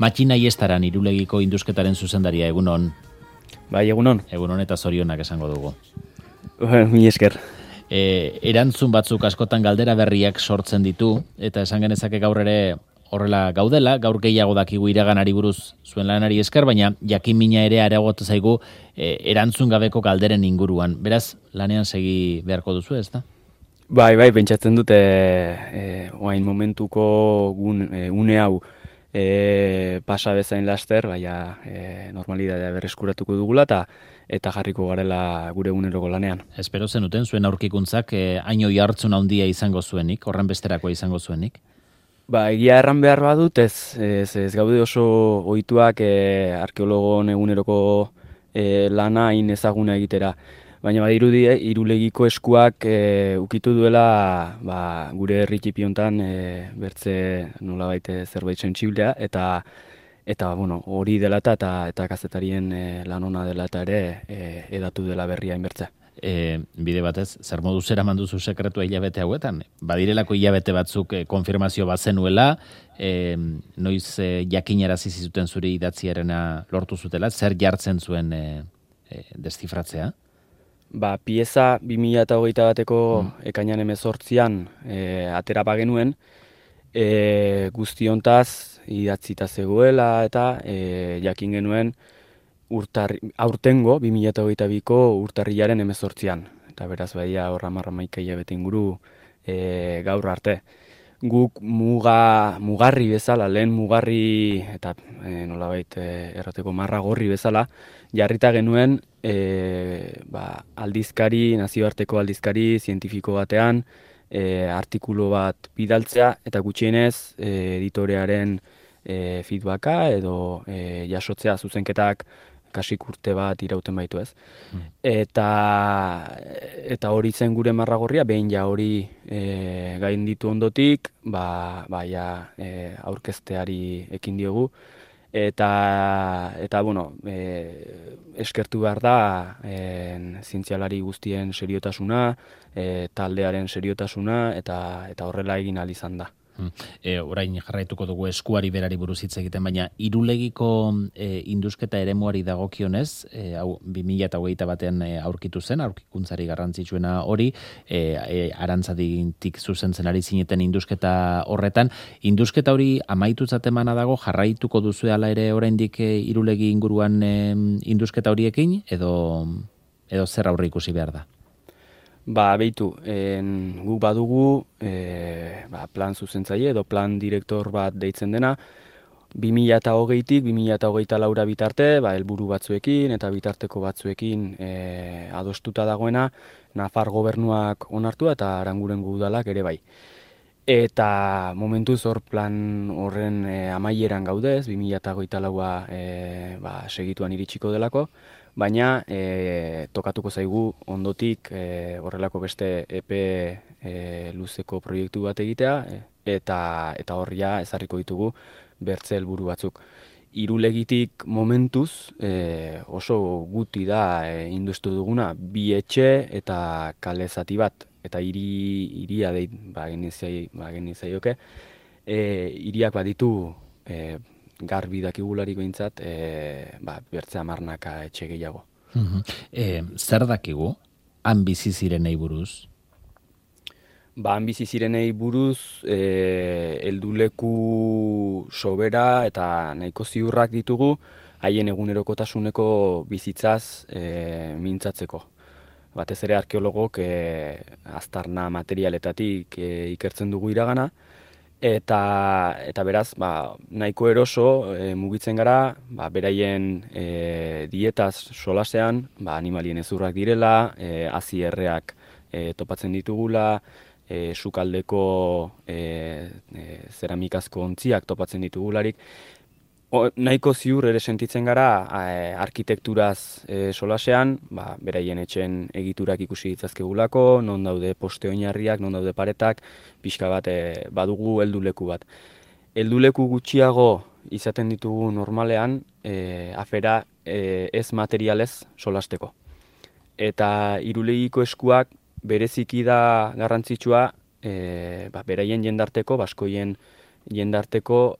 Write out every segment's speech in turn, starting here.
Matxina Iestaran Irulegiko indusketaren zuzendaria, egunon. Bai, egunon. Egunon eta zorionak esango dugu. Mi esker. Erantzun batzuk askotan galdera berriak sortzen ditu, eta esan genezake gaur ere horrela gaudela, gaur gehiago dakigu iraganari buruz zuen lanari esker, baina jakin mina ere areagotu zaigu erantzun gabeko galderen inguruan. Beraz, lanean segi beharko duzu, ez da? Bai, pentsatzen dute oain momentuko une hau pasa bezain laster, baina normalidadea berreskuratuko dugula eta jarriko garela gure eguneroko lanean. Espero zenuten zuen aurkikuntzak haino jartzun handia izango zuenik, horren besterakoa izango zuenik? Egia erran behar badut, ez gaude oso ohituak arkeologon eguneroko lana hain ezaguna egitera. Baina badirudi Irulegiko eskuak ukitu duela gure herri txipi hontan bertze nolabait zerbait sentsiblea eta hori dela eta kazetarien lan ona dela eta ere edatu dela berria inbertzea. Bide batez, zer moduz eraman duzu sekretua hilabete hauetan? Badirelako hilabete batzuk konfirmazio bazenuela, noiz jakinarazi zizuten zure idatziarena lortu zutela, zer jartzen zuen deszifratzea? Pieza 2021 bateko ekainan 18an atera bagenuen, guztiontaz idatzita zegoela eta jakin genuen aurtengo 2022ko urtarrilaren 18an. Eta beraz baia horra marramaika hilabete inguru gaur arte. Guk mugarri bezala, lehen mugarri eta nolabait errateko marra gorri bezala, jarrita genuen aldizkari, nazioarteko aldizkari zientifiko batean artikulu bat bidaltzea eta gutxienez editorearen feedbacka edo jasotzea zuzenketak kasik urte bat irauten baitu ez. Eta hori zen gure marragorria, behin ja hori gainditu ondotik, aurkezteari ekin diogu. Eta eskertu behar da zientzialari guztien seriotasuna, taldearen seriotasuna eta horrela egin ahal izan da. Orain jarraituko dugu eskuari berari buruz hitz egiten, baina Irulegiko indusketa eremuari dagokionez, hau 2021 batean aurkitu zen, aurkikuntzari garrantzitsuena hori, Arantzadik zuzentzen ari zineten indusketa horretan. Indusketa hori amaitutzat emana dago, jarraituko duzu ala ere oraindik Irulegi inguruan indusketa horiekin, edo zer aurre ikusi behar da? Behitu, guk badugu plan zuzentzaile edo plan direktor bat deitzen dena, 2020tik 2024 bitarte, helburu batzuekin eta bitarteko batzuekin adostuta dagoena, Nafar gobernuak onartua eta Arangurengo udalak ere bai. Eta momentuz hor plan horren amaieran gaudez, 2024a segituan iritsiko delako, baina tokatuko zaigu ondotik horrelako beste epe luzeko proiektu bat egitea eta horria ezarriko ditugu bertze helburu batzuk. Irulegitik momentuz oso guti da industu duguna 2 etxe eta kale zati bat eta hiria genizaioke hiriak baditu garbi dakigularik behintzat, bertze 10 etxe gehiago. Zer dakigu han bizi zirenei buruz? Han bizi zirenei buruz helduleku sobera eta nahiko ziurrak ditugu haien egunerokotasuneko bizitzaz mintzatzeko. Batez ere arkeologok aztarna materialetatik ikertzen dugu iragana, eta beraz, nahiko eroso mugitzen gara, beraien dietaz solasean, animalien ezurrak direla, hazi erreak topatzen ditugula, sukaldeko zeramikazko ontziak topatzen ditugularik. Nahiko ziur ere sentitzen gara arkitekturaz solasean, beraien etxen egiturak ikusi ditzazkegulako, non daude poste oinarriak, non daude paretak, pixka bat badugu helduleku bat. Helduleku gutxiago izaten ditugu normalean, afera ez materialez solasteko. Eta Irulegiko eskuak bereziki da garrantzitsua, beraien jendarteko, baskoien jendarteko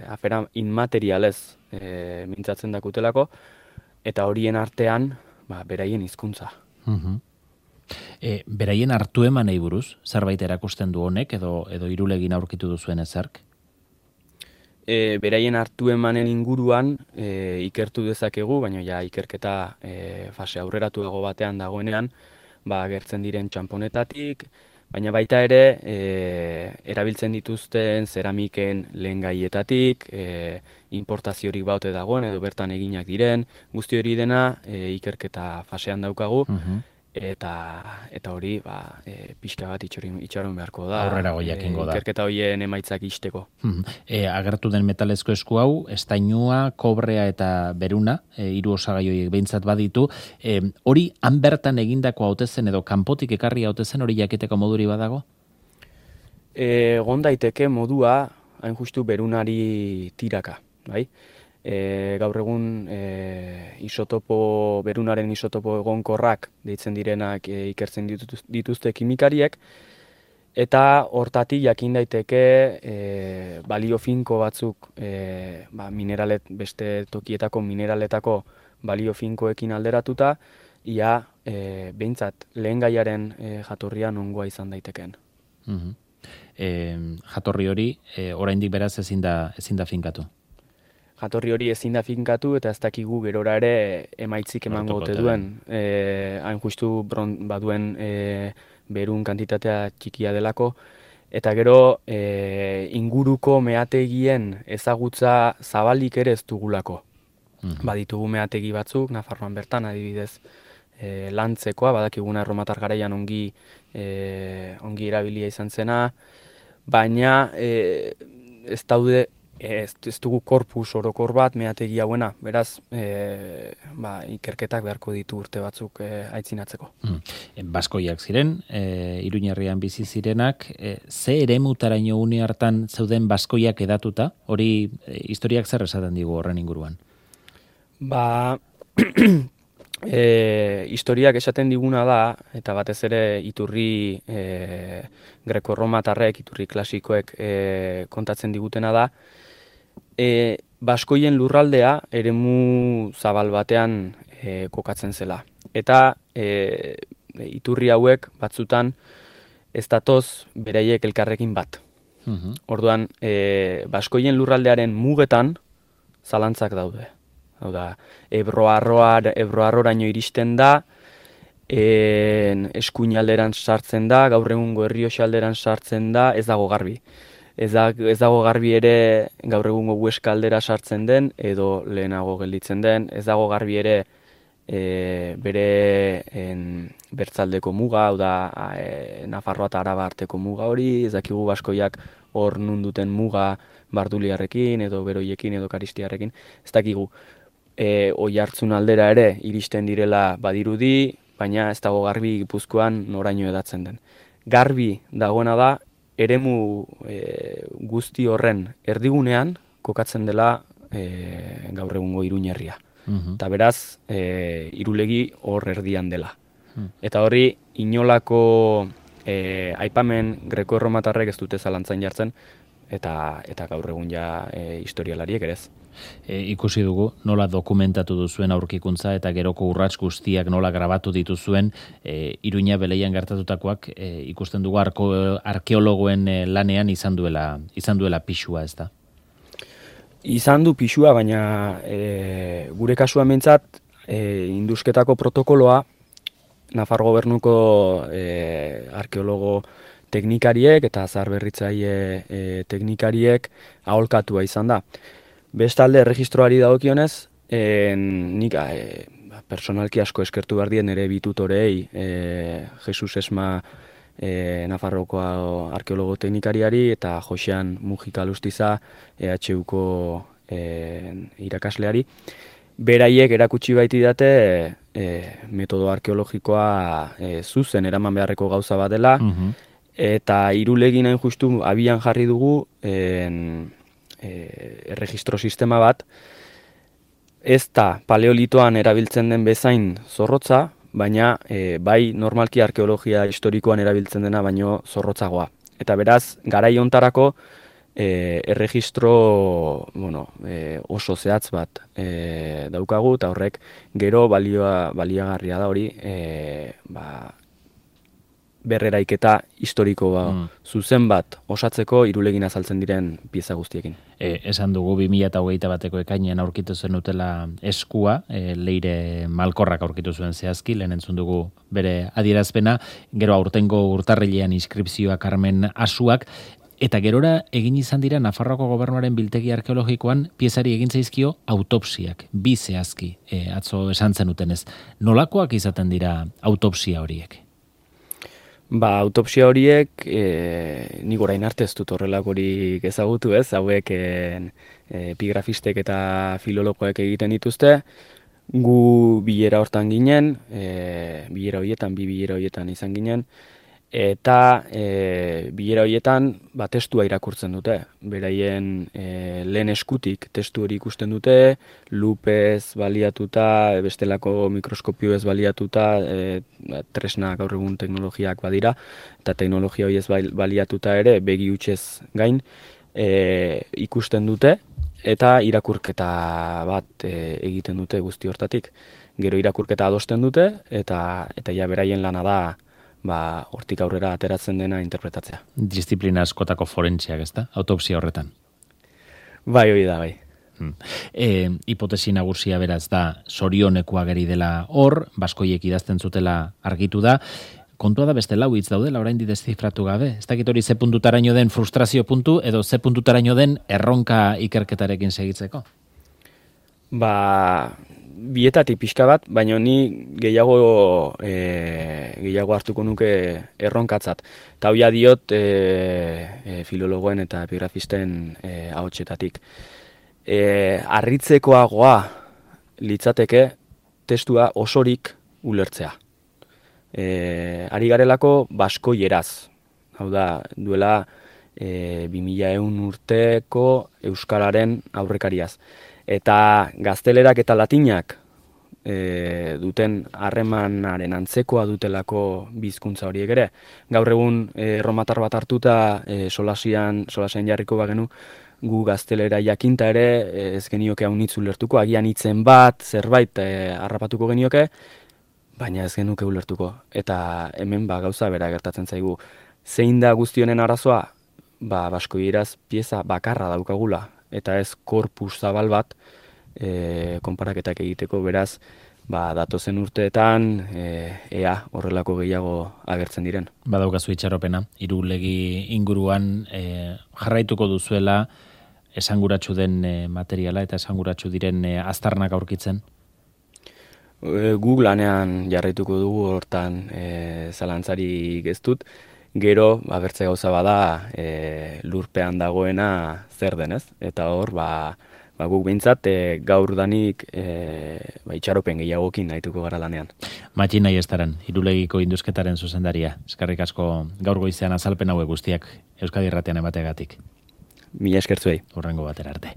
afera inmaterialez mintzatzen dakutelako, eta horien artean beraien hizkuntza. Beraien hartu emanei buruz, zerbait erakusten du honek, edo Irulegin aurkitu duzuen ezark? Beraien hartu emanen inguruan ikertu dezakegu, baina ja ikerketa fase aurreratuago batean dagoenean, agertzen diren txanponetatik, baina baita ere erabiltzen dituzten zeramiken lehengaietatik, importaziorik baute dagoen edo bertan eginak diren, guzti hori dena ikerketa fasean daukagu, eta hori pixka bat itxaron beharko da. Aurrerago jakingo da. Ikerketa horien emaitzak isteko. Agertu den metalezko esku hau, estainua, kobrea eta beruna, 3 osagai horiek behintzat baditu. Hori han bertan egindako hautezen edo kanpotik ekarri hautezen hori jakiteko moduri badago? Egon daiteke modua, hain justu berunari tiraka, bai? Gaur egun berunaren isotopo egonkorrak deitzen direnak ikertzen dituzte kimikariek, eta hortatik jakin daiteke balio finko batzuk beste tokietako mineraletako balio finkoekin alderatuta, ia behintzat lehengaiaren jatorria nongoa izan daiteken. Jatorri hori oraindik beraz ezin da finkatu. Jatorri hori ezin da finkatu eta ez dakigu gerora ere emaitzik emango ote duen. Hain justu baduen berun kantitatea txikia delako, eta gero inguruko meategien ezagutza zabalik ere ez dugulako. Baditugu meategi batzuk, Nafarroan bertan adibidez lantzekoa, badakiguna erromatar garaian ongi erabilia izan zena, baina ez dugu korpus orokor bat meategi hauena, beraz ikerketak beharko ditu urte batzuk aitzinatzeko. Baskoiak ziren, Iruñerrian bizi zirenak, ze eremutaraino une hartan zeuden baskoiak edatuta, hori historiak zer esaten digu horren inguruan? Historiak esaten diguna da, eta batez ere iturri greko-romatarrek, iturri klasikoek kontatzen digutena da, baskoien lurraldea eremu zabal batean kokatzen zela. Eta iturri hauek batzutan ez datoz beraiek elkarrekin bat. Orduan, baskoien lurraldearen mugetan zalantzak daude. Hau da, Ebroarroraino iristen da, eskuinalderan sartzen da, gaur egungo Errioxa-alderan sartzen da, ez dago garbi. Ez dago garbi ere gaur egungo Huesca aldera sartzen den, edo lehenago gelditzen den, ez dago garbi ere bere bertzaldeko muga, hau da, Nafarroa eta Araba arteko muga hori, ez dakigu baskoiak hor nunduten muga Barduliarrekin, edo Beroiekin, edo Karistiarrekin, ez dakigu. Oiartzun aldera ere iristen direla badirudi, baina ez dago garbi Gipuzkoan noraino edatzen den. Garbi dagoena da, eremu guzti horren erdigunean kokatzen dela gaur egungo Iruñerria. Eta beraz, Irulegi hor erdian dela. Eta hori, inolako aipamen greko-erromatarrek ez dute zalantzan jartzen, eta gaur egun ja historialariek ere ez. Ikusi dugu nola dokumentatu duzuen aurkikuntza eta geroko urrats guztiak nola grabatu dituzuen Iruña Beleian gertatutakoak ikusten dugu arkeologoen lanean izan duela pixua, ez da? Izan du pixua, baina gure kasuan behintzat indusketako protokoloa Nafar gobernuko arkeologo teknikariek eta zaharberritzaile teknikariek aholkatua izan da. Bestalde, erregistroari dagokionez, nik personalki asko eskertu behar dien ere bitutorei, Jesus Esma Nafarroko arkeologo teknikariari eta Josean Mujika Lustiza EHUko irakasleari. Beraiek erakutsi baiti date metodo arkeologikoa zuzen eraman beharreko gauza bat dela, eta Irulegin hain justu abian jarri dugu erregistro sistema bat, ez da paleolitoan erabiltzen den bezain zorrotza, baina bai normalki arkeologia historikoan erabiltzen dena baino zorrotzagoa. Eta beraz, garai hontarako erregistro oso zehatz bat daukagu, eta horrek gero baliagarria da hori berreraiketa historiko zuzen bat osatzeko Irulegin azaltzen diren pieza guztiekin. Esan dugu 2021 ekainean aurkitu zen utela eskua, Leire Malkorrak aurkitu zuen zehazki, lehen entzun dugu bere adierazpena, gero aurtengo urtarrilean inskripzioa Carmen Asuak, eta gerora egin izan dira Nafarroako Gobernuaren biltegi arkeologikoan piezari egin zaizkio autopsiak, bi zehazki, atzo esan zenuten ez. Nolakoak izaten dira autopsia horiek? Autopsia horiek, nik orain arte ez dut horrelakorik ezagutu ez, hauek epigrafistek eta filologoek egiten dituzte, gu bilera hortan ginen, bi bilera horietan izan ginen, eta bilera horietan testua irakurtzen dute. Beraien lehen eskutik testu hori ikusten dute, lupez baliatuta, bestelako mikroskopioez baliatuta, tresna gaur egun teknologiak badira, eta teknologia horiez baliatuta ere begi hutsez gain ikusten dute, eta irakurketa bat egiten dute guzti hortatik. Gero irakurketa adosten dute, eta ja beraien lana da hortik aurrera ateratzen dena interpretatzea. Disiplina askotako forentziak, ezta? Autopsia horretan. Bai, hori da, bai. Hipotesi nagusia beraz da sorionekoa geri dela hor, baskoiek idazten zutela argitu da. Kontua da beste lau hitz daudela oraindik deszifratu gabe. Ez dakit hori ze puntutaraino den frustrazio puntu edo ze puntutaraino den erronka ikerketarekin segitzeko? Bietatik pixka bat, baina ni gehiago hartuko nuke erronkatzat. Eta hoia diot filologoen eta epigrafisten ahotsetatik. Harritzekoagoa litzateke testua osorik ulertzea. Ari garelako baskoieraz. Hau da, duela 2100 urteko euskararen aurrekariaz. Eta gaztelerak eta latinak duten harremanaren antzekoa dutelako bizkuntza horiek ere. Gaur egun erromatar bat hartuta solasean jarriko bagenu, gu gaztelera jakinta ere ez genioke haunitz ulertuko, agian hitzen bat, zerbait harrapatuko genioke, baina ez genuke ulertuko. Eta hemen gauza bera gertatzen zaigu. Zein da guztionen arazoa? Baskoieraz pieza bakarra daukagula, eta ez korpus zabal bat konparaketak egiteko, beraz, datozen urteetan ea horrelako gehiago agertzen diren. Badaukazu itxaropena, Irulegi inguruan jarraituko duzuela esanguratsu den materiala eta esanguratsu diren aztarnak aurkitzen? Gu lanean jarraituko dugu hortan zalantzarik ez dut. Gero, bertze gauza bada, lurpean dagoena zer denez. Eta hor, guk behintzat, gaur danik itxaropen gehiagokin nahituko gara lanean. Matxin nahi estaran, Irulegiko induzketaren zuzendaria. Eskerrik asko gaur goizean azalpen hauek guztiak Euskadi Irratian emateagatik. Mila eskertzuei. Hurrengo batera arte.